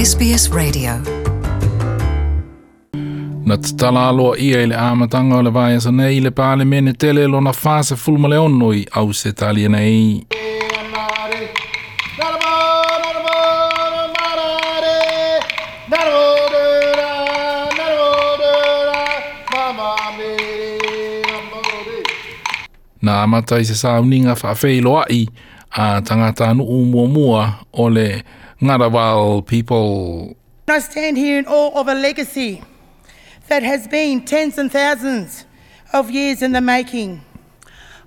SBS Radio. Na tatala aloaia i le amataga o le vaiaso nei le Palemene tele lona 46 i Ausetalia nei. Na amata i se sauniga faafeiloai a tagatanuu muamua o le Ngunnawal people. I stand here in awe of a legacy that has been tens and thousands of years in the making.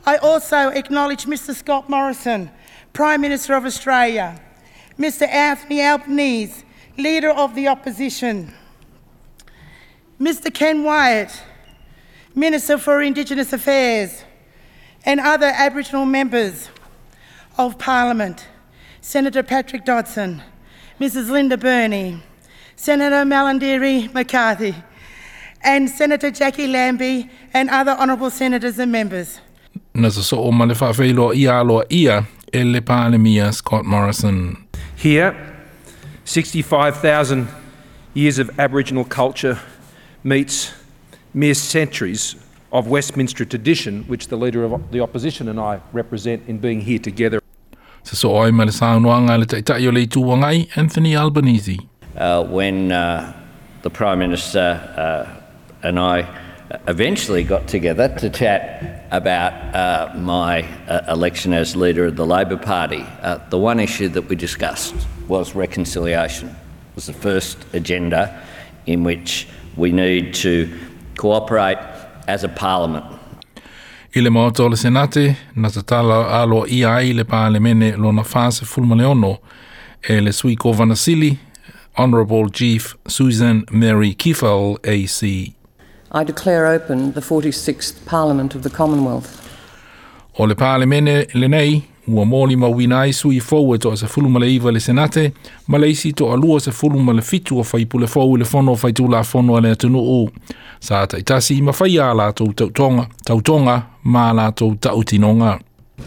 I also acknowledge Mr Scott Morrison, Prime Minister of Australia, Mr Anthony Albanese, Leader of the Opposition, Mr Ken Wyatt, Minister for Indigenous Affairs, and other Aboriginal members of Parliament, Senator Patrick Dodson, Mrs Linda Burney, Senator Malarndirri McCarthy, and Senator Jackie Lambie, and other honourable senators and members. Na sosoo ma le faafeiloaiga aloaia e le Palemia Scott Morrison. Here, 65,000 years of Aboriginal culture meets mere centuries of Westminster tradition, which the Leader of the Opposition and I represent in being here together. Sosoo ai ma le saunoaga a le Taitai o le Itu Agai Anthony Albanese. When the Prime Minister and I eventually got together to chat about my election as leader of the Labor Party, the one issue that we discussed was reconciliation. It was the first agenda in which we need to cooperate as a parliament. I le Maota o le Senate, na tatala aloaia ai le Palemene lona 46 e le sui Kovana Sili, Honourable Chief Susan Mary Kiefel AC. I declare open the 46th Parliament of the Commonwealth. O le Palemene lenei, ua molimauina ai sui fou e 19 i le Senate, ma le isi 27 o faipule fou i le Fono Faitulafono a le atunuu. Sa taitasi ma faia a latou tautoga, tautoga ma a latou tautinoga.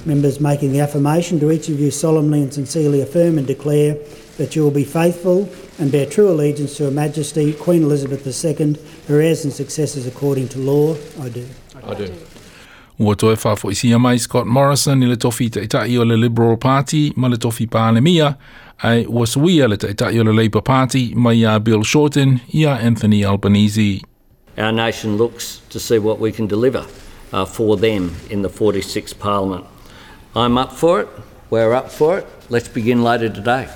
Members making the affirmation, do each of you solemnly and sincerely affirm and declare that you will be faithful and bear true allegiance to Her Majesty Queen Elizabeth II, her heirs and successors according to law? I do. I do. Ua toe faafoisia mai Scott Morrison i le tofi taitai o le Liberal Party ma le tofi Palemia, ae ua suia le taitai o le Labour Party mai iā Bill Shorten iā Anthony Albanese. Our nation looks to see what we can deliver for them in the 46th Parliament. I'm up for it. We're up for it. Let's begin later today.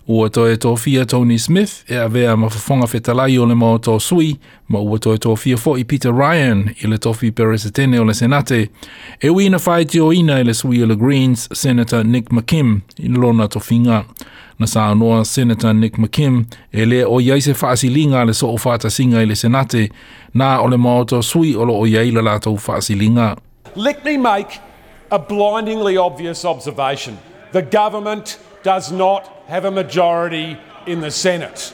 Ua toe tofia Tony Smith e avea ma fofoga fetalai o le Maota o Sui, ma ua toe tofia foi Peter Ryan i le tofi Peresetene o le Senate, e ui ina faitioina e le sui o le Greens, Senator Nick McKim, i lona tofiga. Na saunoa Senator Nick McKim e le o i ai se faasiliga a le soofaatasiga i le Senate, na o le Maota o Sui o lo o i ai le latou faasiliga. Let me make a blindingly obvious observation. The government does not have a majority in the Senate.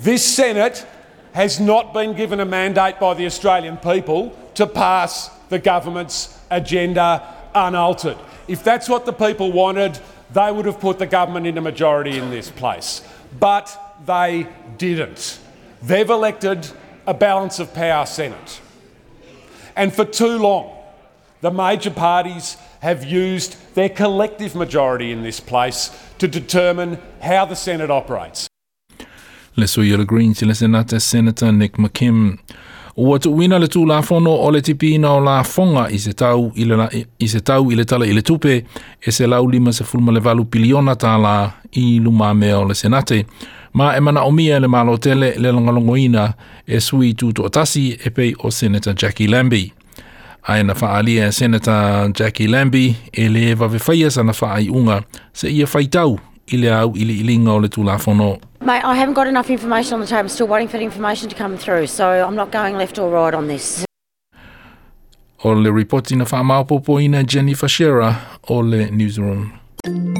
This Senate has not been given a mandate by the Australian people to pass the government's agenda unaltered. If that's what the people wanted, they would have put the government in a majority in this place. But they didn't. They've elected a balance of power Senate. And for too long, the major parties have used their collective majority in this place to determine how the Senate operates. Le sui o le Greens i le Senate, Senator Nick McKim. Ua tuuina le Tulafono o le Tipiina o Lafoga i se tau i le, i se tau i le Tala i le Tupe e $158 piliona tālā i lumamea o le Senate, ma e manaomia e le Malo tele le lagolagoina e sui tutoatasi e pei o Senator Jackie Lambie. Ae na faaalia e Senator Jackie Lambie e lē vave faia sana faaiuga seia faitau i le auiliiliga o le Tulafono. Mate, I haven't got enough information on the table. I'm still waiting for the information to come through, so I'm not going left or right on this. O le ripoti na faamaopoopoina e Jennifer Shearer o le Newsroom.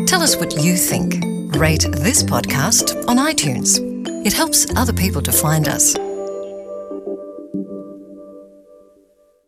Tell us what you think. Rate this podcast on iTunes. It helps other people to find us.